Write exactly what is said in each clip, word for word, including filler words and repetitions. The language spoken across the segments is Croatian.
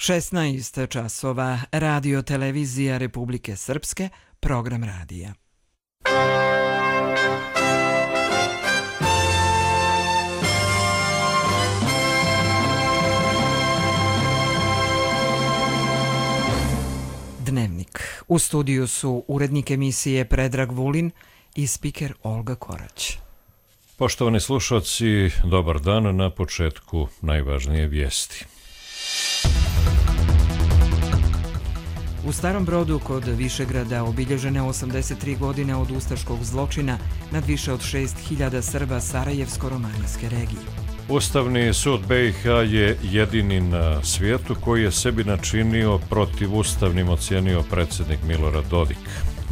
šesnaest časova, Radio televizija Republike Srpske, program radija. Dnevnik. U studiju su urednik emisije Predrag Vulin i spiker Olga Korać. Poštovani slušalci, dobar dan. Na početku najvažnije vijesti. U Starom Brodu kod Višegrada obilježene osamdeset tri godine od ustaškog zločina nad više od šest hiljada Srba Sarajevsko-romanijske regije. Ustavni sud B i H je jedini na svijetu koji je sebi načinio protivustavnim ocijenio predsjednik Milorad Dodik.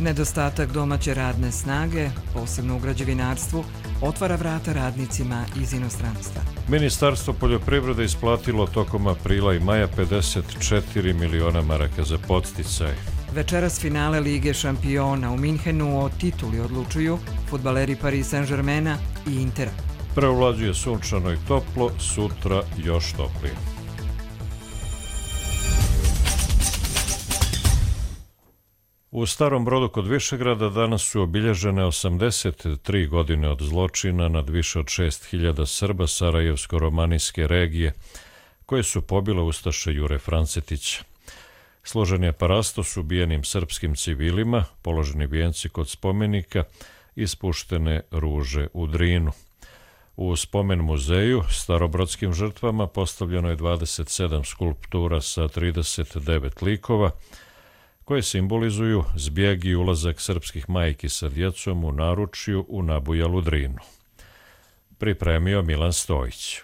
Nedostatak domaće radne snage, posebno u građevinarstvu, otvara vrata radnicima iz inostranstva. Ministarstvo poljoprivrede isplatilo tokom aprila i maja pedeset četiri miliona maraka za podsticaj. Večeras finale Lige šampiona u Minhenu o tituli odlučuju fudbaleri Paris Saint-Germaina i Intera. Preovlađuje sunčano i toplo, sutra još toplije. U Starom Brodu kod Višegrada danas su obilježene osamdeset tri godine od zločina nad više od šest hiljada Srba Sarajevsko-romanijske regije, koje su pobile ustaše Jure Francetića. Složen je parastos ubijenim srpskim civilima, položeni vijenci kod spomenika i spuštene ruže u Drinu. U spomen muzeju starobrodskim žrtvama postavljeno je dvadeset sedam skulptura sa trideset devet likova, koje simbolizuju zbjeg i ulazak srpskih majki sa djecom u naručju u nabujalu Drinu. Pripremio Milan Stojić.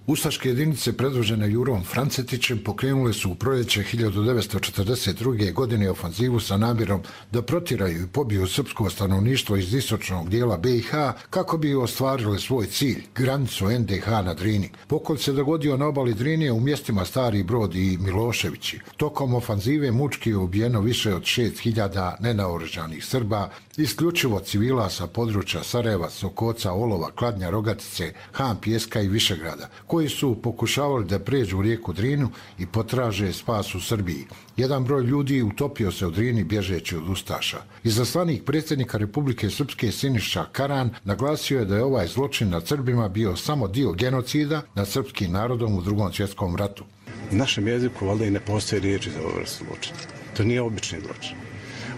Ustaške jedinice predvođene Jurom Francetićem pokrenule su u proljeće hiljadu devetsto četrdeset druge. godine ofanzivu sa namjerom da protjeraju i pobiju srpsko stanovništvo iz istočnog dijela B i H kako bi ostvarile svoj cilj, granicu N D H na Drini. Pokolj se dogodio na obali Drinije u mjestima Stari Brod i Miloševići. Tokom ofanzive mučki je ubijeno više od šest hiljada nenaoružanih Srba, isključivo civila sa područja Sarajeva, Sokoca, Olova, Kladnja, Rogatice, Han, Pijeska i Višegrada, koji su pokušavali da pređu rijeku Drinu i potraže spas u Srbiji. Jedan broj ljudi utopio se u Drini bježeći od ustaša. Izaslanik predsjednika Republike Srpske Siniša Karan naglasio je da je ovaj zločin nad Srbima bio samo dio genocida nad srpskim narodom u Drugom svjetskom ratu. U našem jeziku valjda i ne postoje riječi za ovu vrstu zločina. To nije obični zločin.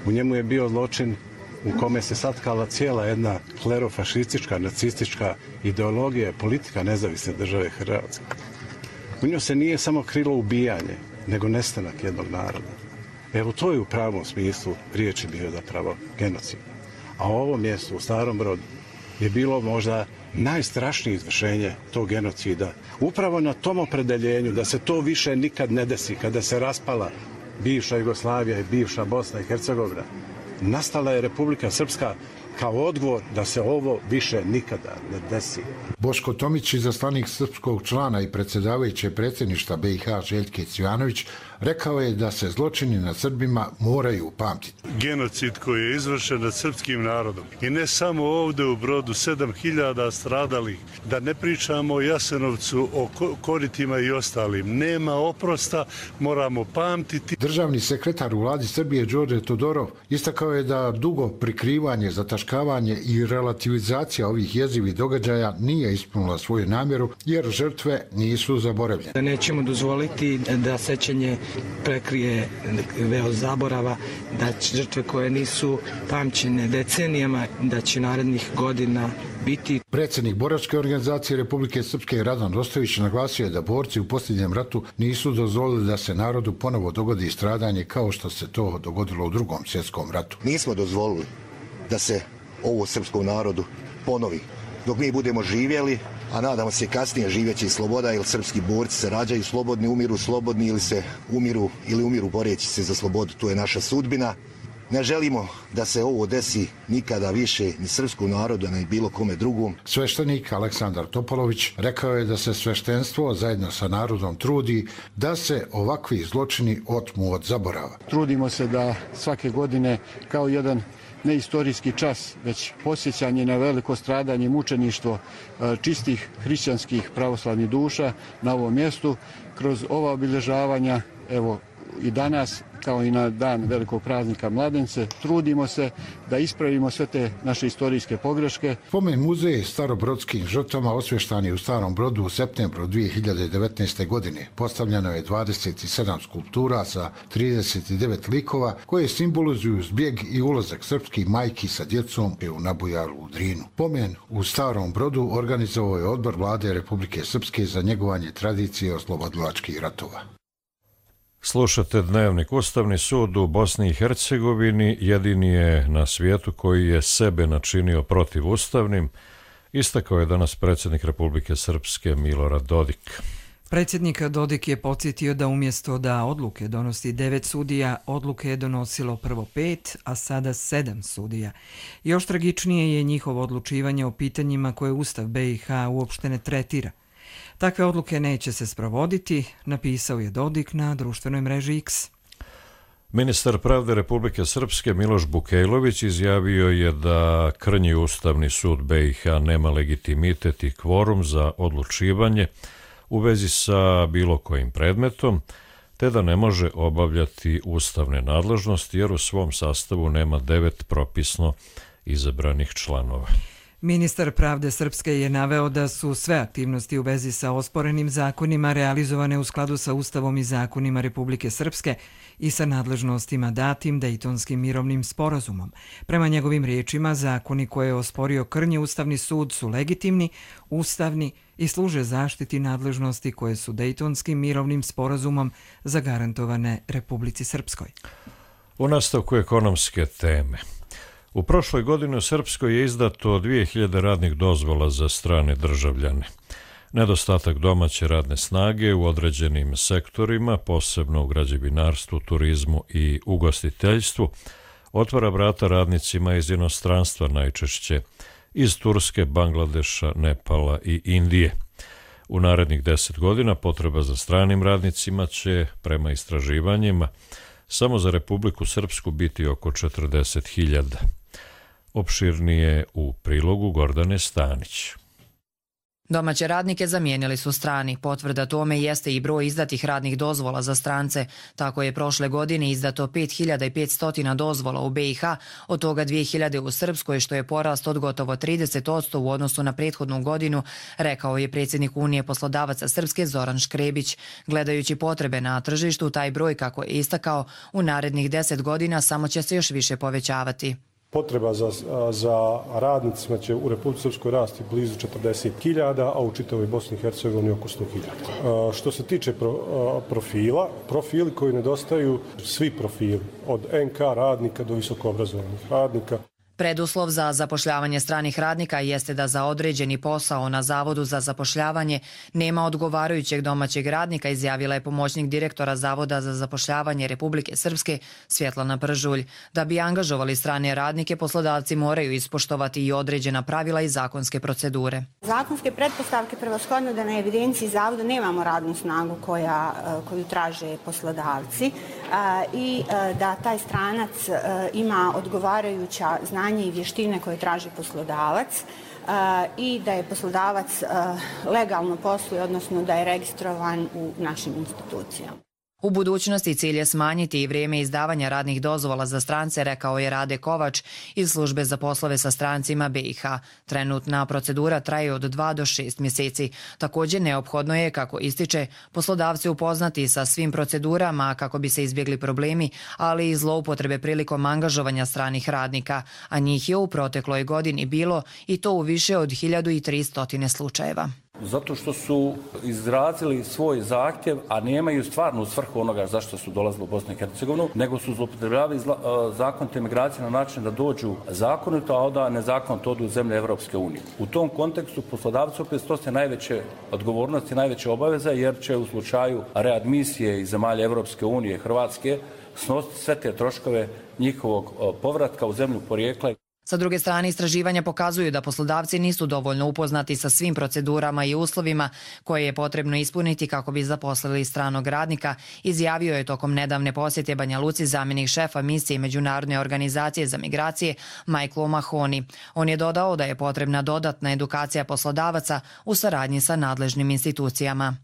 U njemu je bio zločin u kome se satkala cijela jedna klerofašistička, nacistička ideologija, politika nezavisne države Hrvatske. U njoj se nije samo krilo ubijanje, nego nestanak jednog naroda. Evo, to je u pravom smislu riječi bio zapravo genocid. A ovo mjesto u Starom Brodu je bilo možda najstrašnije izvršenje tog genocida. Upravo na tom opredeljenju da se to više nikad ne desi, kada se raspala bivša Jugoslavija i bivša Bosna i Hercegovina, nastala je Republika Srpska kao odgovor da se ovo više nikada ne desi. Boško Tomić, izaslanik srpskog člana i predsjedavajuće predsjedništva B i H Željke Cvijanović, rekao je da se zločini nad Srbima moraju pamtiti. Genocid koji je izvršen nad srpskim narodom i ne samo ovdje u Brodu, sedam hiljada stradalih, da ne pričamo o Jasenovcu, o Koritima i ostalim. Nema oprosta, moramo pamtiti. Državni sekretar u vladi Srbije Đorđe Todorov istakao je da dugo prikrivanje, zataškavanje i relativizacija ovih jezivih događaja nije ispunila svoju namjeru jer žrtve nisu zaboravljene. Nećemo dozvoliti da sećanje prekrije veo zaborava, da žrtve koje nisu pamćene decenijama, da će narednih godina biti. Predsjednik boračke organizacije Republike Srpske Radan Rostović naglasio je da borci u posljednjem ratu nisu dozvolili da se narodu ponovo dogodi stradanje kao što se to dogodilo u Drugom svjetskom ratu. Nismo dozvolili da se ovo srpskom narodu ponovi. Dok mi budemo živjeli, a nadamo se kasnije živjeći sloboda, jer srpski borci se rađaju slobodni, umiru slobodni ili se umiru ili umiru boreći se za slobodu. To je naša sudbina. Ne želimo da se ovo desi nikada više ni srpskom narodu, ni bilo kome drugom. Sveštenik Aleksandar Topolović rekao je da se sveštenstvo zajedno sa narodom trudi da se ovakvi zločini otmu od zaborava. Trudimo se da svake godine kao jedan ne istorijski čas, već posjećanje na veliko stradanje i mučeništvo čistih hrišćanskih pravoslavnih duša na ovom mjestu. Kroz ova obilježavanja, evo i danas, kao i na dan velikog praznika Mladence, trudimo se da ispravimo sve te naše istorijske pogreške. Spomen muzej starobrodskim žrtvama osvještan je u Starom Brodu u septembru dvije hiljade devetnaeste. godine. Postavljeno je dvadeset sedam skulptura sa trideset devet likova koje simbolizuju zbjeg i ulazak srpskih majki sa djecom u nabujalu u Drinu. Pomen u Starom Brodu organizovao je Odbor Vlade Republike Srpske za njegovanje tradicije oslobodilačkih ratova. Slušate Dnevnik. Ustavni sud u Bosni i Hercegovini jedini je na svijetu koji je sebe načinio protivustavnim, istakao je danas predsjednik Republike Srpske Milorad Dodik. Predsjednik Dodik je podsjetio da umjesto da odluke donosi devet sudija, odluke je donosilo prvo pet, a sada sedam sudija. Još tragičnije je njihovo odlučivanje o pitanjima koje Ustav B i H uopšte ne tretira. Takve odluke neće se sprovoditi, napisao je Dodik na društvenoj mreži X. Ministar pravde Republike Srpske Miloš Bukejlović izjavio je da krnji Ustavni sud B i H nema legitimitet i kvorum za odlučivanje u vezi sa bilo kojim predmetom, te da ne može obavljati ustavne nadležnosti jer u svom sastavu nema devet propisno izabranih članova. Ministar pravde Srpske je naveo da su sve aktivnosti u vezi sa osporenim zakonima realizovane u skladu sa Ustavom i zakonima Republike Srpske i sa nadležnostima datim Dejtonskim mirovnim sporazumom. Prema njegovim riječima, zakoni koje je osporio krnji Ustavni sud su legitimni, ustavni i služe zaštiti nadležnosti koje su Dejtonskim mirovnim sporazumom zagarantovane Republici Srpskoj. U nastavku ekonomske teme. U prošloj godini u Srpskoj je izdato dvije hiljade radnih dozvola za strane državljane. Nedostatak domaće radne snage u određenim sektorima, posebno u građevinarstvu, turizmu i ugostiteljstvu, otvara vrata radnicima iz inostranstva, najčešće iz Turske, Bangladeša, Nepala i Indije. U narednih deset godina potreba za stranim radnicima će, prema istraživanjima, samo za Republiku Srpsku biti oko četrdeset hiljada. Opširnije u prilogu Gordane Stanić. Domaće radnike zamijenili su strani. Potvrda tome jeste i broj izdatih radnih dozvola za strance. Tako je prošle godine izdato pet hiljada petsto dozvola u B i H, od toga dvije hiljade u Srpskoj, što je porast od gotovo trideset posto u odnosu na prethodnu godinu, rekao je predsjednik Unije poslodavaca Srpske Zoran Škrebić. Gledajući potrebe na tržištu, taj broj, kako je istakao, u narednih deset godina samo će se još više povećavati. Potreba za, za radnicima će u Republici Srpskoj rasti blizu četrdeset hiljada, a u čitavoj Bosni i Hercegovini oko sto hiljada. Što se tiče pro, profila, profili koji nedostaju, svi profili, od en ka radnika do visokoobrazovanih radnika. Preduslov za zapošljavanje stranih radnika jeste da za određeni posao na Zavodu za zapošljavanje nema odgovarajućeg domaćeg radnika, izjavila je pomoćnik direktora Zavoda za zapošljavanje Republike Srpske Svjetlana Pržulj. Da bi angažovali strane radnike, poslodavci moraju ispoštovati i određena pravila i zakonske procedure. Zakonske pretpostavke prevashodno da na evidenciji Zavoda nemamo radnu snagu koja, koju traže poslodavci i da taj stranac ima odgovarajuća znanja i vještine koje traži poslodavac i da je poslodavac legalno posluje, odnosno da je registrovan u našim institucijama. U budućnosti cilj je smanjiti i vrijeme izdavanja radnih dozvola za strance, rekao je Rade Kovač iz službe za poslove sa strancima B i H. Trenutna procedura traje od dva do šest mjeseci. Također neophodno je, kako ističe, poslodavci upoznati sa svim procedurama kako bi se izbjegli problemi, ali i zloupotrebe prilikom angažovanja stranih radnika, a njih je u protekloj godini bilo i to u više od hiljadu tristo slučajeva. Zato što su izrazili svoj zahtjev, a nemaju stvarnu svrhu onoga zašto su dolazili u Bosnu i Hercegovinu, nego su zloupotrebljavali zakonite migracije na način da dođu zakonito, a onda nezakonito odu u zemlje Evropske unije. U tom kontekstu poslodavci opet snose najveće odgovornosti, najveće obaveze, jer će u slučaju readmisije iz zemalja Evropske unije, Hrvatske, snositi sve te troškove njihovog povratka u zemlju porijekla. Sa druge strane, istraživanja pokazuju da poslodavci nisu dovoljno upoznati sa svim procedurama i uslovima koje je potrebno ispuniti kako bi zaposlili stranog radnika, izjavio je tokom nedavne posjete Banja Luci zamjenik šefa misije Međunarodne organizacije za migracije Michael O'Mahony. On je dodao da je potrebna dodatna edukacija poslodavaca u saradnji sa nadležnim institucijama.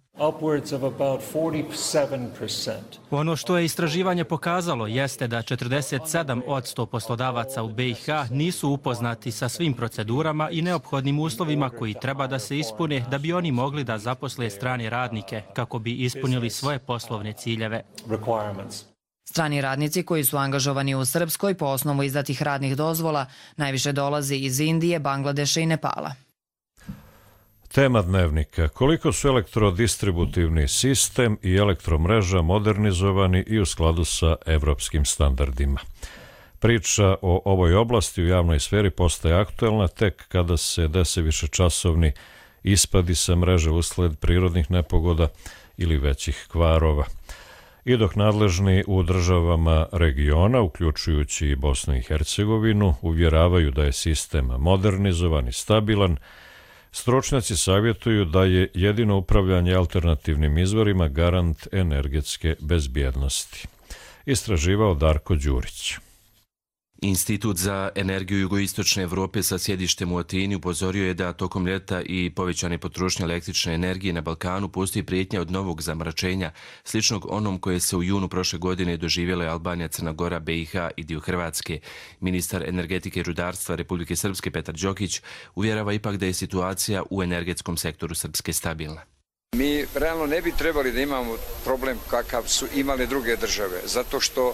Ono što je istraživanje pokazalo jeste da četrdeset sedam posto poslodavaca u B i H nisu upoznati sa svim procedurama i neophodnim uslovima koji treba da se ispune da bi oni mogli da zaposle strane radnike kako bi ispunili svoje poslovne ciljeve. Strani radnici koji su angažovani u Srpskoj po osnovu izdatih radnih dozvola najviše dolazi iz Indije, Bangladeša i Nepala. Tema dnevnika: koliko su elektrodistributivni sistem i elektromreža modernizovani i u skladu sa evropskim standardima. Priča o ovoj oblasti u javnoj sferi postaje aktuelna tek kada se dese višečasovni ispadi sa mreže usled prirodnih nepogoda ili većih kvarova. I dok nadležni u državama regiona, uključujući i Bosnu i Hercegovinu, uvjeravaju da je sistem modernizovan i stabilan, stručnjaci savjetuju da je jedino upravljanje alternativnim izvorima garant energetske bezbjednosti. Istraživao Darko Đurić. Institut za energiju jugoistočne Evrope sa sjedištem u Atini upozorio je da tokom ljeta i povećane potrošnje električne energije na Balkanu postoji prijetnja od novog zamračenja, sličnog onom koje se u junu prošle godine doživjela Albanija, Crna Gora, B i H i dio Hrvatske. Ministar energetike i rudarstva Republike Srpske Petar Đokić uvjerava ipak da je situacija u energetskom sektoru Srpske stabilna. Mi realno ne bi trebali da imamo problem kakav su imale druge države, zato što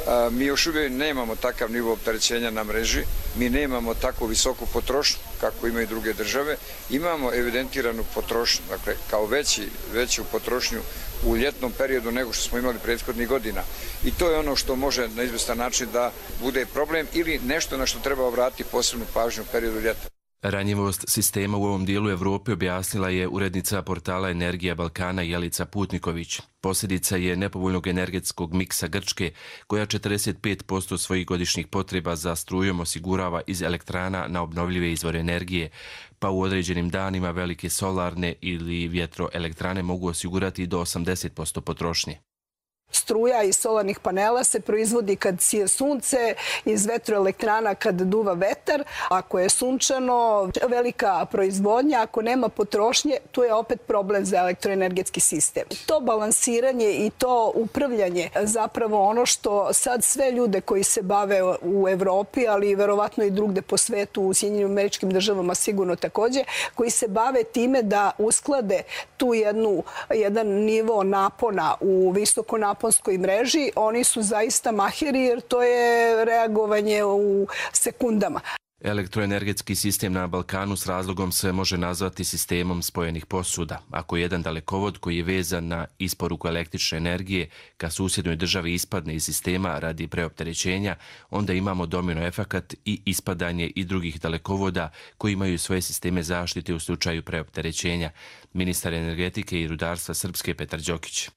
a, mi još uvijek nemamo takav nivo opterećenja na mreži, mi nemamo tako visoku potrošnju kako imaju druge države, imamo evidentiranu potrošnju, dakle kao veći, veću potrošnju u ljetnom periodu nego što smo imali prethodnih godina. I to je ono što može na izvestan način da bude problem ili nešto na što treba obratiti posebnu pažnju u periodu ljeta. Ranjivost sistema u ovom dijelu Evrope objasnila je urednica portala Energija Balkana Jelica Putniković. Posljedica je nepovoljnog energetskog miksa Grčke, koja četrdeset pet posto svojih godišnjih potreba za strujom osigurava iz elektrana na obnovljive izvore energije, pa u određenim danima velike solarne ili vjetroelektrane mogu osigurati do osamdeset posto potrošnje. Struja iz solarnih panela se proizvodi kad sije sunce, iz vetroelektrana kad duva vetar. Ako je sunčano, velika proizvodnja, ako nema potrošnje, tu je opet problem za elektroenergetski sistem. To balansiranje i to upravljanje zapravo ono što sad sve ljude koji se bave u Evropi, ali verovatno i drugde po svetu, u Sjedinjenim Američkim Državama sigurno također, koji se bave time da usklade tu jednu, jedan nivo napona u visoko naponskoj mreži, oni su zaista mahiri jer to je reagovanje u sekundama. Elektroenergetski sistem na Balkanu s razlogom se može nazvati sistemom spojenih posuda. Ako jedan dalekovod koji je vezan na isporuku električne energije ka susjednoj državi ispadne iz sistema radi preopterećenja, onda imamo domino efekat i ispadanje i drugih dalekovoda koji imaju svoje sisteme zaštite u slučaju preopterećenja. Ministar energetike i rudarstva Srpske Petar Đokić.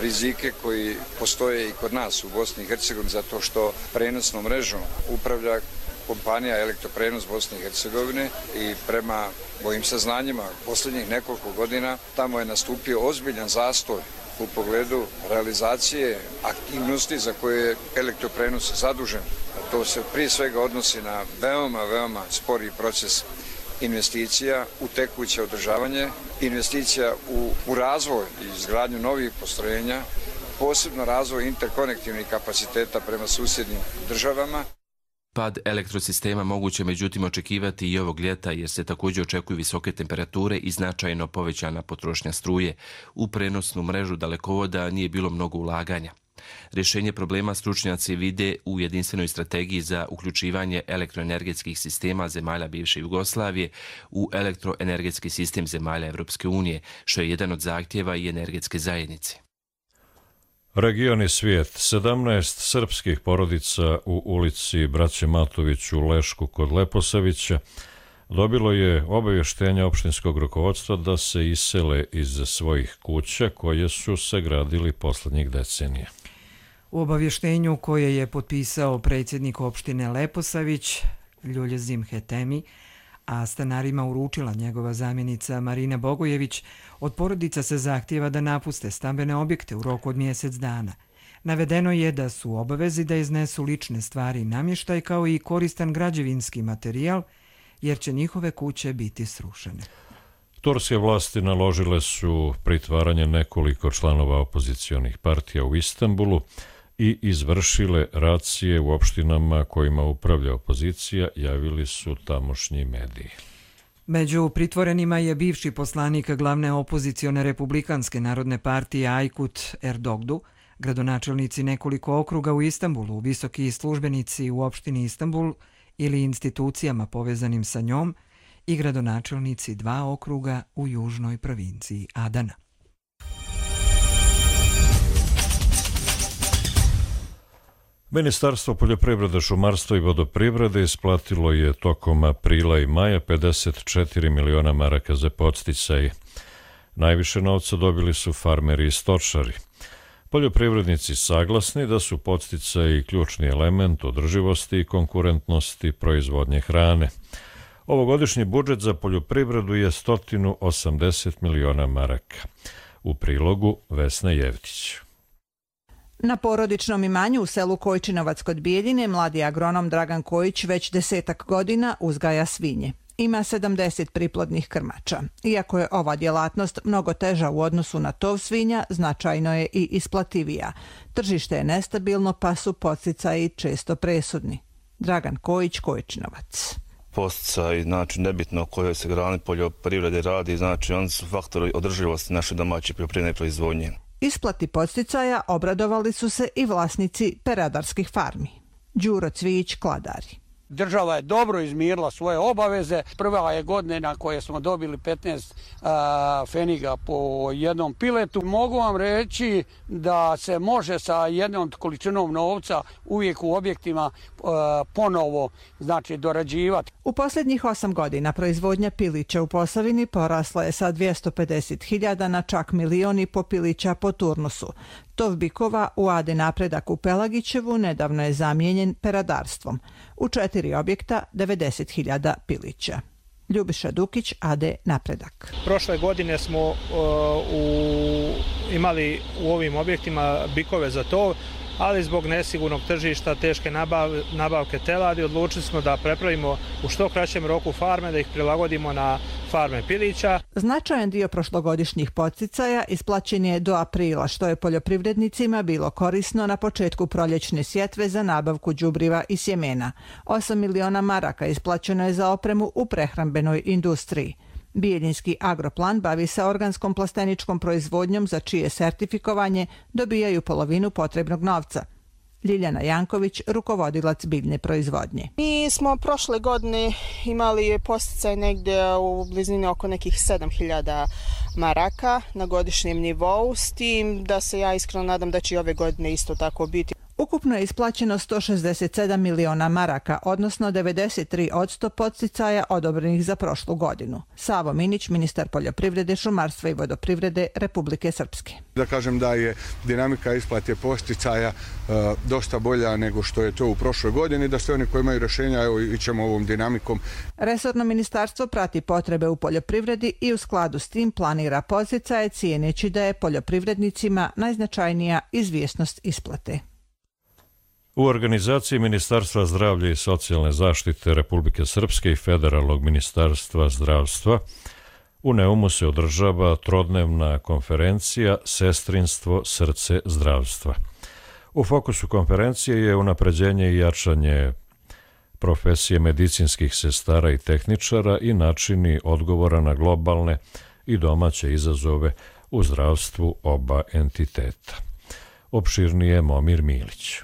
Rizike koji postoje i kod nas u Bosni i Hercegovini zato što prenosnom mrežom upravlja kompanija Elektroprenos Bosne i Hercegovine i prema mojim saznanjima posljednjih nekoliko godina tamo je nastupio ozbiljan zastoj u pogledu realizacije aktivnosti za koje je Elektroprenos zadužen. To se prije svega odnosi na veoma, veoma spori proces investicija u tekuće održavanje, investicija u, u razvoj i izgradnju novih postrojenja, posebno razvoj interkonektivnih kapaciteta prema susjednim državama. Pad elektrosistema moguće međutim očekivati i ovog ljeta jer se također očekuju visoke temperature i značajno povećana potrošnja struje. U prenosnu mrežu dalekovoda nije bilo mnogo ulaganja. Rješenje problema stručnjaci vide u jedinstvenoj strategiji za uključivanje elektroenergetskih sistema zemalja bivše Jugoslavije u elektroenergetski sistem zemalja Evropske unije, što je jedan od zahtjeva i energetske zajednice. Region i svijet. sedamnaest srpskih porodica u ulici Braće Matović u Lešku kod Leposavića dobilo je obavještenje opštinskog rukovodstva da se isele iz svojih kuća koje su se gradili posljednjih decenija. U obavještenju koje je potpisao predsjednik opštine Leposavić Ljulje Zimhetemi, a stanarima uručila njegova zamjenica Marina Bogojević, od porodica se zahtijeva da napuste stambene objekte u roku od mjesec dana. Navedeno je da su u obavezi da iznesu lične stvari i namještaj kao i koristan građevinski materijal, jer će njihove kuće biti srušene. Turske vlasti naložile su pritvaranje nekoliko članova opozicionih partija u Istanbulu i izvršile racije u opštinama kojima upravlja opozicija, javili su tamošnji mediji. Među pritvorenima je bivši poslanik glavne opozicione republikanske narodne partije Aykut Erdogdu, gradonačelnici nekoliko okruga u Istanbulu, visoki službenici u opštini Istanbul ili institucijama povezanim sa njom i gradonačelnici dva okruga u južnoj provinciji Adana. Ministarstvo poljoprivrede, šumarstva i vodoprivrede isplatilo je tokom aprila i maja pedeset četiri miliona maraka za podsticaje. Najviše novca dobili su farmeri i stočari. Poljoprivrednici saglasni da su podsticaji ključni element održivosti i konkurentnosti proizvodnje hrane. Ovogodišnji budžet za poljoprivredu je sto osamdeset miliona maraka. U prilogu Vesna Jevtić. Na porodičnom imanju u selu Kojčinovac kod Bijeljine mladi agronom Dragan Kojić već desetak godina uzgaja svinje. Ima sedamdeset priplodnih krmača. Iako je ova djelatnost mnogo teža u odnosu na tov svinja, značajno je i isplativija. Tržište je nestabilno, pa su podsticaji često presudni. Dragan Kojić, Kojčinovac. Posticaj, znači nebitno o kojoj se grani poljoprivrede radi, znači oni su faktori održivosti naše domaće poljoprivredne proizvodnje. Isplati podsticaja obradovali su se i vlasnici peradarskih farmi. Đuro Cvijić, Kladari. Država je dobro izmirila svoje obaveze. Prva je godina koje smo dobili petnaest a, feniga po jednom piletu. Mogu vam reći da se može sa jednom količinom novca uvijek u objektima a, ponovo znači, dorađivati. U posljednjih osam godina proizvodnja pilića u Posavini porasla je sa dvjesto pedeset hiljada na čak milion i po pilića po turnusu. Tov bikova u A D Napredak u Pelagićevu nedavno je zamijenjen peradarstvom. U četiri objekta devedeset hiljada pilića. Ljubiša Dukić, A D Napredak. Prošle godine smo uh, u, imali u ovim objektima bikove za tov, ali zbog nesigurnog tržišta, teške nabav, nabavke teladi, odlučili smo da prepravimo u što kraćem roku farme, da ih prilagodimo na farme pilića. Značajan dio prošlogodišnjih podsticaja isplaćen je do aprila, što je poljoprivrednicima bilo korisno na početku proljećne sjetve za nabavku đubriva i sjemena. osam miliona maraka isplaćeno je za opremu u prehrambenoj industriji. Bijeljinski agroplan bavi se organskom plasteničkom proizvodnjom za čije sertifikovanje dobijaju polovinu potrebnog novca. Ljiljana Janković, rukovodilac biljne proizvodnje. Mi smo prošle godine imali posticaj negdje u blizini oko nekih sedam hiljada maraka na godišnjem nivou, s tim da se ja iskreno nadam da će i ove godine isto tako biti. Ukupno je isplaćeno sto šezdeset sedam miliona maraka, odnosno devedeset tri posto podsticaja odobrenih za prošlu godinu. Savo Minić, ministar poljoprivrede, šumarstva i vodoprivrede Republike Srpske. Da kažem da je dinamika isplate podsticaja e, dosta bolja nego što je to u prošloj godini, da sve oni koji imaju rješenja, evo ićemo ovom dinamikom. Resorno ministarstvo prati potrebe u poljoprivredi i u skladu s tim planira podsticaje, cijeneći da je poljoprivrednicima najznačajnija izvjesnost isplate. U organizaciji Ministarstva zdravlja i socijalne zaštite Republike Srpske i Federalnog ministarstva zdravstva u Neumu se održava trodnevna konferencija Sestrinstvo, srce zdravstva. U fokusu konferencije je unapređenje i jačanje profesije medicinskih sestara i tehničara i načini odgovora na globalne i domaće izazove u zdravstvu oba entiteta. Opširnije Momir Milić.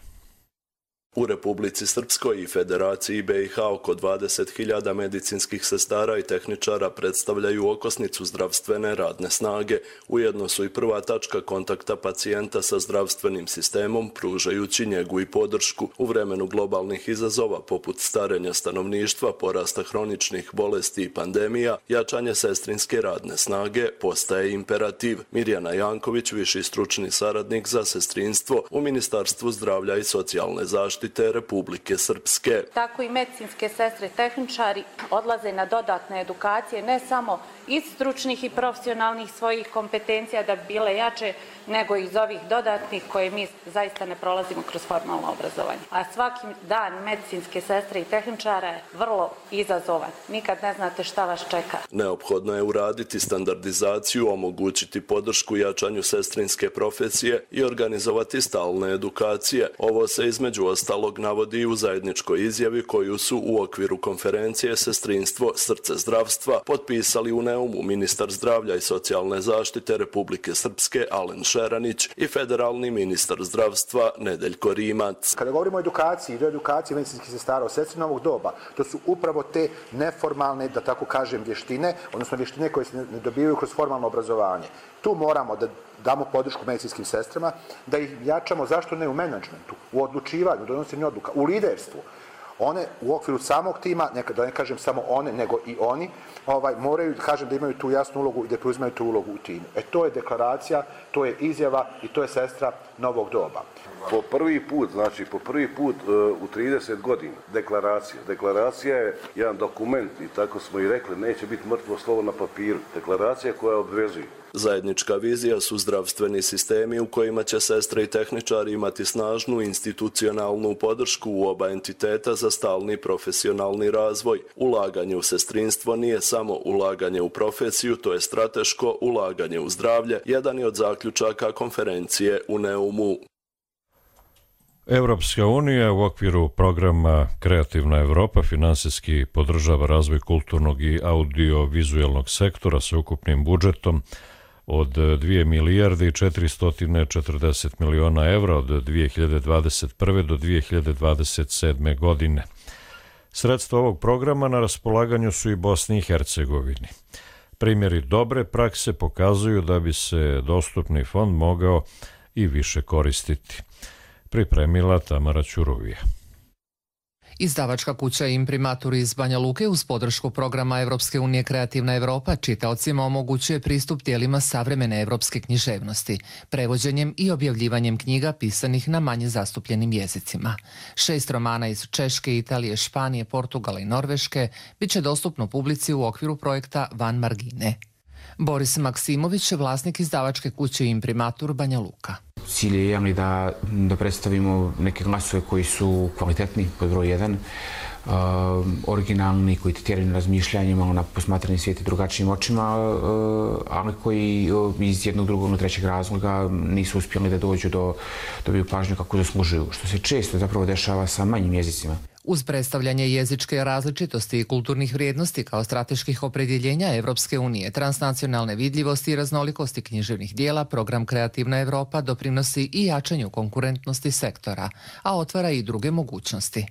U Republici Srpskoj i Federaciji B i H oko dvadeset hiljada medicinskih sestara i tehničara predstavljaju okosnicu zdravstvene radne snage. Ujedno su i prva tačka kontakta pacijenta sa zdravstvenim sistemom, pružajući njegu i podršku. U vremenu globalnih izazova poput starenja stanovništva, porasta hroničnih bolesti i pandemija, jačanje sestrinske radne snage postaje imperativ. Mirjana Janković, viši stručni saradnik za sestrinstvo u Ministarstvu zdravlja i socijalne zaštite, zaštite Republike Srpske. Tako i medicinske sestre i tehničari odlaze na dodatne edukacije, ne samo iz stručnih i profesionalnih svojih kompetencija da bi bile jače, nego iz ovih dodatnih koje mi zaista ne prolazimo kroz formalno obrazovanje. A svaki dan medicinske sestre i tehničara je vrlo izazovan. Nikad ne znate šta vas čeka. Neophodno je uraditi standardizaciju, omogućiti podršku jačanju sestrinske profesije i organizovati stalne edukacije. Ovo se između ostalog navodi u zajedničkoj izjavi koju su u okviru konferencije Sestrinstvo, srce zdravstva potpisali u Neumu ministar zdravlja i socijalne zaštite Republike Srpske Alen Šeranić i federalni ministar zdravstva Nedeljko Rimac. Kada govorimo o edukaciji, do edukacije medicinskih sestara o sestri novog doba, to su upravo te neformalne, da tako kažem, vještine, odnosno vještine koje se ne dobivaju kroz formalno obrazovanje. Tu moramo da damo podršku medicinskim sestrama, da ih jačamo, zašto ne u menadžmentu, u odlučivanju, u donošenju odluka, u liderstvu. One u okviru samog tima, neka da ne kažem samo one, nego i oni, ovaj, moraju, kažem, da imaju tu jasnu ulogu i da preuzimaju tu ulogu u timu. E to je deklaracija, to je izjava i to je sestra novog doba. Po prvi put, znači po prvi put uh, u trideset godina deklaracija. Deklaracija je jedan dokument i tako smo i rekli, neće biti mrtvo slovo na papiru. Deklaracija koja obvezuje. Zajednička vizija su zdravstveni sistemi u kojima će sestre i tehničari imati snažnu institucionalnu podršku u oba entiteta za stalni profesionalni razvoj. Ulaganje u sestrinstvo nije samo ulaganje u profesiju, to je strateško ulaganje u zdravlje, jedan je od zaključaka konferencije u Neumu. Evropska unija u okviru programa Kreativna Evropa finansijski podržava razvoj kulturnog i audio-vizualnog sektora sa ukupnim budžetom od dvije milijarde i četiristo četrdeset miliona evra od dvije hiljade dvadeset prve do dvije hiljade dvadeset sedme godine. Sredstva ovog programa na raspolaganju su i Bosni i Hercegovini. Primjeri dobre prakse pokazuju da bi se dostupni fond mogao i više koristiti. Pripremila Tamara Ćurovija. Izdavačka kuća Imprimatur iz Banja Luke uz podršku programa Evropske unije Kreativna Evropa čitaocima omogućuje pristup tijelima savremene evropske književnosti, prevođenjem i objavljivanjem knjiga pisanih na manje zastupljenim jezicima. Šest romana iz Češke, Italije, Španije, Portugala i Norveške bit će dostupno publici u okviru projekta Van Margine. Boris Maksimović, vlasnik izdavačke kuće Imprimatur Banja Luka. Cilj je javni da, da predstavimo neke glasove koji su kvalitetni, pod broj jedan, uh, originalni, koji te tjeraju na razmišljanjima, na posmatranje svijeta drugačijim očima, uh, ali koji uh, iz jednog, drugog, trećeg razloga nisu uspjeli da dođu do dobiju pažnju kako zaslužuju, što se često zapravo dešava sa manjim jezicima. Uz predstavljanje jezičke različitosti i kulturnih vrijednosti kao strateških opredjeljenja Evropske unije, transnacionalne vidljivosti i raznolikosti književnih dijela, program Kreativna Evropa doprinosi i jačanju konkurentnosti sektora, a otvara i druge mogućnosti.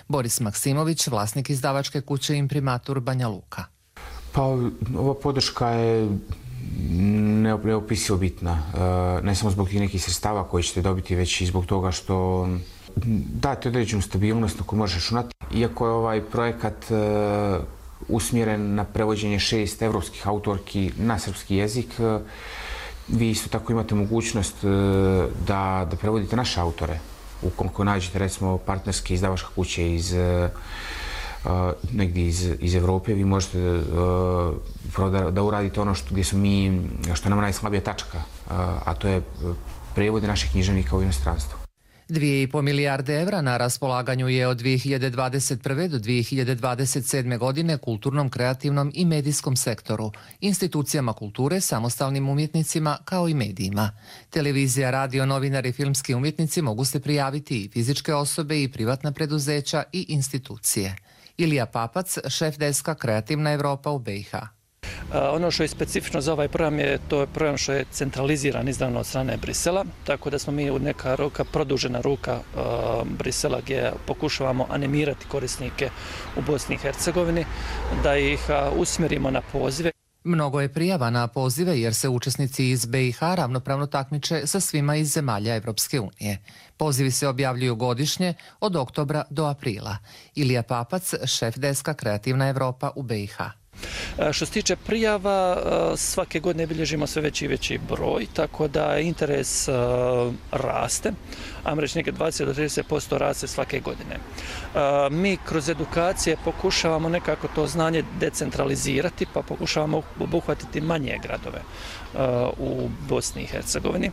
Boris Maksimović, vlasnik izdavačke kuće Imprimatur Banja Luka. Pa, ova podrška je neopisivo bitna. Ne samo zbog tih nekih sredstava koje ćete dobiti, već i zbog toga što date određenu stabilnost na koju možeš računati. Iako je ovaj projekat uh, usmjeren na prevođenje šest evropskih autorki na srpski jezik, uh, vi isto tako imate mogućnost uh, da, da prevodite naše autore. Ukoliko nađete, recimo, partnerske izdavačke kuće iz, uh, uh, negdje iz, iz Evrope, vi možete uh, da, da uradite ono što, gdje su mi, što nam najslabija tačka, uh, a to je prevode naših književnika u inostranstvu. Dvije i po milijarde evra na raspolaganju je od dvije hiljade dvadeset prve do dvije hiljade dvadeset sedme godine kulturnom, kreativnom i medijskom sektoru, institucijama kulture, samostalnim umjetnicima kao i medijima. Televizija, radio, novinari i filmski umjetnici mogu se prijaviti i fizičke osobe i privatna preduzeća i institucije. Ilija Papac, šef deska Kreativna Evropa u B i H. Ono što je specifično za ovaj program je to je program što je centraliziran izdavno od strane Brisela, tako da smo mi neka ruka, produžena ruka uh, Brisela gdje pokušavamo animirati korisnike u Bosni i Hercegovini, da ih uh, usmjerimo na pozive. Mnogo je prijava na pozive jer se učesnici iz B i H ravnopravno takmiče sa svima iz zemalja Evropske unije. Pozivi se objavljuju godišnje od oktobra do aprila. Ilija Papac, šef deska Kreativna Evropa u B i H. Što se tiče prijava, svake godine bilježimo sve veći i veći broj, tako da interes raste, ajmo reći neke dvadeset do trideset posto raste svake godine. Mi kroz edukacije pokušavamo nekako to znanje decentralizirati, pa pokušavamo obuhvatiti manje gradove u Bosni i Hercegovini.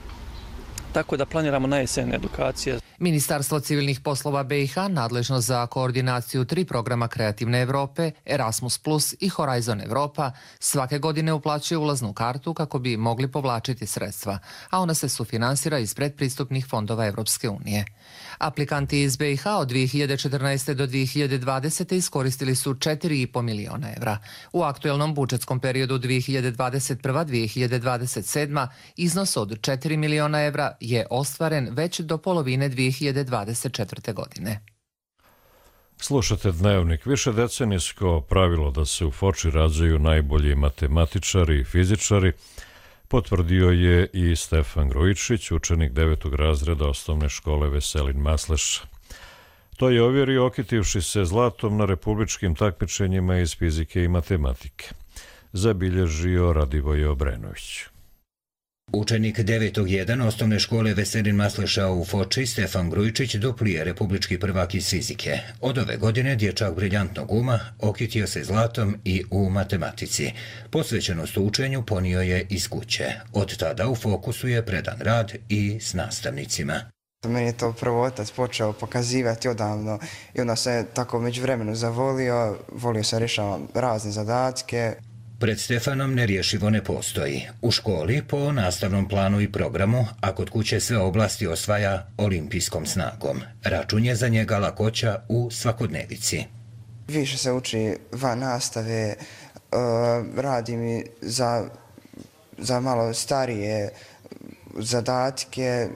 Tako da planiramo na jesen edukacije. Ministarstvo civilnih poslova B i H nadležno za koordinaciju tri programa Kreativne Evrope, Erasmus plus i Horizon Evropa svake godine uplaćuje ulaznu kartu kako bi mogli povlačiti sredstva, a ona se sufinansira iz predpristupnih fondova Evropske unije. Aplikanti iz B i H od dvije hiljade četrnaeste. do dvije hiljade dvadesete. iskoristili su četiri i po miliona evra. U aktuelnom budžetskom periodu dvije hiljade dvadeset prva. do dvije hiljade dvadeset sedma. iznos od četiri miliona evra je ostvaren već do polovine dvije hiljade dvadeset četvrte. godine. Slušate Dnevnik. Više decenijsko pravilo da se u Foči rađaju najbolji matematičari i fizičari potvrdio je i Stefan Grujičić, učenik devetog razreda osnovne škole Veselin Masleša. To je ovjerio okitivši se zlatom na republičkim takmičenjima iz fizike i matematike. Zabilježio Radivoje Obrenović. Učenik devetog jedan osnovne škole Veselin Masleša u Foči, Stefan Grujičić, dupli je republički prvak iz fizike. Od ove godine dječak briljantnog uma okitio se zlatom i u matematici. Posvećenost učenju ponio je iz kuće. Od tada u fokusu je predan rad i s nastavnicima. Meni je to prvo otac počeo pokazivati odavno i onda se tako među vremenu zavolio, volio se rješavati razne zadatke. Pred Stefanom nerješivo ne postoji. U školi po nastavnom planu i programu, a kod kuće sve oblasti osvaja olimpijskom snagom. Račun je za njega lakoća u svakodnevici. Više se uči van nastave, radi mi za, za malo starije zadatke,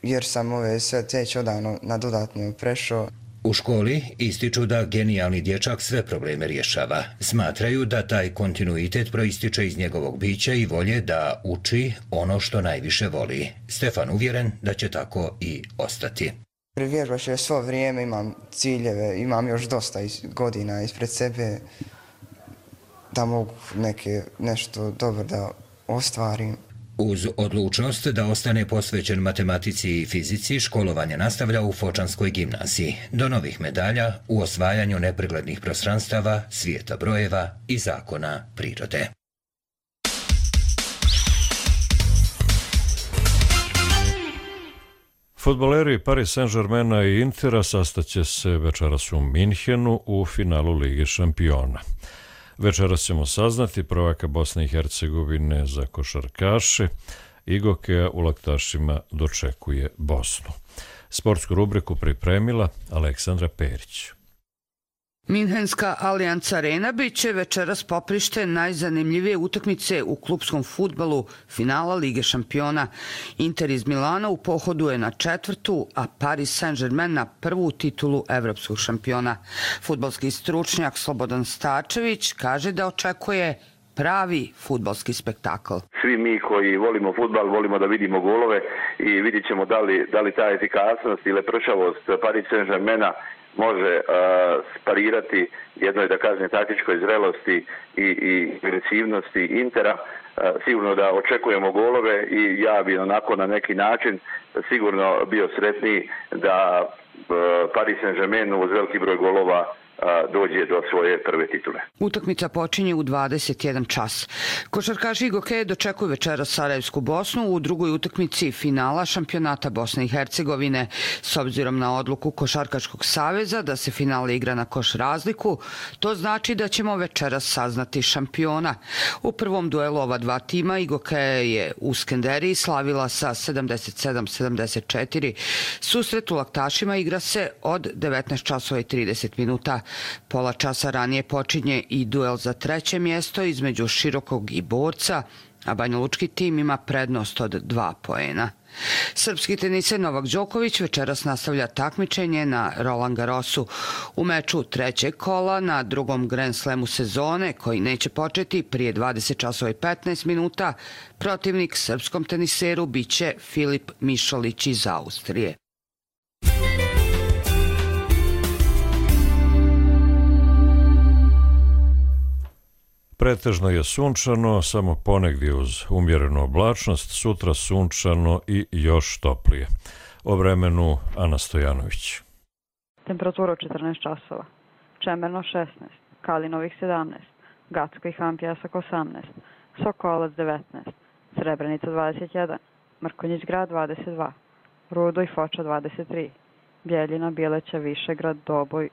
jer sam ove sve već odavno na dodatno prešao. U školi ističu da genijalni dječak sve probleme rješava. Smatraju da taj kontinuitet proističe iz njegovog bića i volje da uči ono što najviše voli. Stefan uvjeren da će tako i ostati. Vježbaš je svo vrijeme, imam ciljeve, imam još dosta godina ispred sebe da mogu neke, nešto dobro da ostvarim. Uz odlučnost da ostane posvećen matematici i fizici, školovanje nastavlja u Fočanskoj gimnaziji. Do novih medalja u osvajanju nepreglednih prostranstava, svijeta brojeva i zakona prirode. Fudbaleri Paris Saint-Germaina i Intera sastaće se večeras u Minhenu u finalu Lige šampiona. Večeras ćemo saznati prvaka Bosne i Hercegovine za košarkaše. Igokeja u Laktašima dočekuje Bosnu. Sportsku rubriku pripremila Aleksandra Perić. Minhenska Allianz Arena bit će večeras poprište najzanimljivije utakmice u klupskom fudbalu finala Lige šampiona. Inter iz Milana u pohodu je na četvrtu, a Paris Saint-Germain na prvu titulu evropskog šampiona. Fudbalski stručnjak Slobodan Stačević kaže da očekuje pravi fudbalski spektakl. Svi mi koji volimo fudbal, volimo da vidimo golove i vidit ćemo da li, da li ta efikasnost ili lepršavost Paris Saint-Germaina može uh, sparirati jednoj, da kažem, taktičkoj zrelosti i, i agresivnosti Intera. Uh, sigurno da očekujemo golove i ja bi onako na neki način sigurno bio sretniji da uh, Paris Saint-Germain uz veliki broj golova dođe do svoje prve titule. Utakmica počinje u dvadeset jedan čas. Košarkaši Igokeje dočekuju večeras Sarajevsku Bosnu u drugoj utakmici finala šampionata Bosne i Hercegovine. S obzirom na odluku Košarkaškog saveza da se finale igra na koš razliku, to znači da ćemo večeras saznati šampiona. U prvom duelu ova dva tima Igokeje je u Skenderiji slavila sa sedamdeset sedam sedamdeset četiri. Susret u Laktašima igra se od devetnaest časova i trideset minuta. Pola časa ranije počinje i duel za treće mjesto između Širokog i Borca, a banjalučki tim ima prednost od dva poena. Srpski teniser Novak Đoković večeras nastavlja takmičenje na Roland Garrosu. U meču trećeg kola na drugom Grand Slamu sezone, koji neće početi prije dvadeset časova i petnaest minuta, protivnik srpskom teniseru biće Filip Mišolić iz Austrije. Pretežno je sunčano, samo ponegdje uz umjerenu oblačnost, sutra sunčano i još toplije. O vremenu Ana Stojanović. Temperatura četrnaest časova, Čemerno šesnaest, Kalinovih sedamnaest, Gacko i Han Pjesak osamnaest, Sokolac devetnaest, Srebrenica dvadeset jedan, Mrkonjić grad dvadeset dva, Rudo i Foča dvadeset tri, Bjeljina, Bileća, Višegrad, Doboj,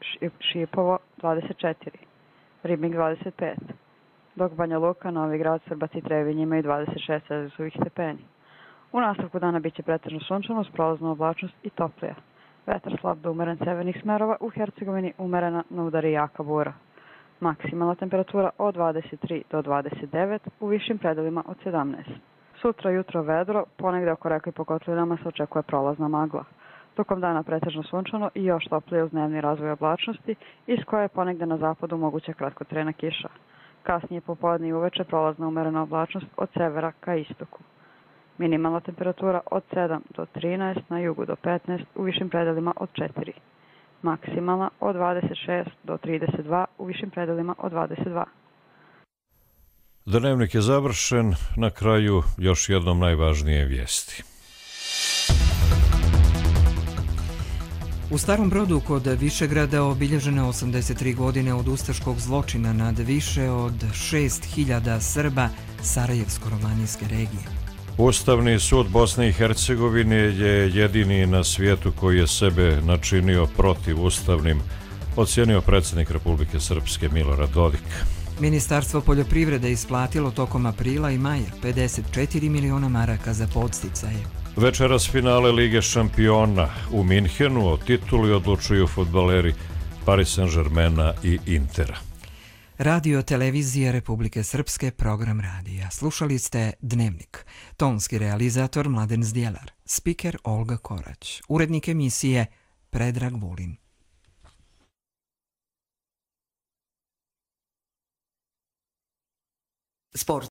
Šipovo dvadeset četiri, Ribnik dvadeset pet, dok Banja Luka, Novi Grad, Srbac i Trebinje imaju dvadeset šest Celzijusovih stepeni. U nastavku dana biće pretežno sunčano uz prolaznu oblačnost i toplija. Vetar slab do umeren severnih smerova, u Hercegovini umerena na udari jaka bura. Maksimalna temperatura od dvadeset tri do dvadeset devet, u višim predelima od sedamnaest. Sutra jutro vedro, ponegde oko reka i po kotlinama se očekuje prolazna magla. Tokom dana pretežno sunčano i još toplije uz dnevni razvoj oblačnosti, iz koje je ponegde na zapadu moguća kratkotrajna kiša. Kasnije popodne i uveče prolazna umerena oblačnost od severa ka istoku. Minimalna temperatura od sedam do trinaest, na jugu do petnaest, u višim predelima od četiri. Maksimalna od dvadeset šest do trideset dva, u višim predelima od dvadeset dva. Dnevnik je završen, na kraju još jednom najvažnije vijesti. U Starom Brodu kod Višegrada obilježene osamdeset tri godine od ustaškog zločina nad više od šest hiljada Srba Sarajevsko-romanijske regije. Ustavni sud Bosne i Hercegovine je jedini na svijetu koji je sebe načinio protivustavnim, ocijenio predsjednik Republike Srpske Milorad Dodik. Ministarstvo poljoprivrede isplatilo tokom aprila i maja pedeset četiri miliona maraka za podsticaje. Večeras finale Lige šampiona u Minhenu, o tituli odlučuju fudbaleri Paris Saint-Germaina i Intera. Radio televizija Republike Srpske, program radija. Slušali ste Dnevnik. Tonski realizator Mladen Zdjelar. Spiker Olga Korać. Urednik emisije Predrag Vulin. Sport.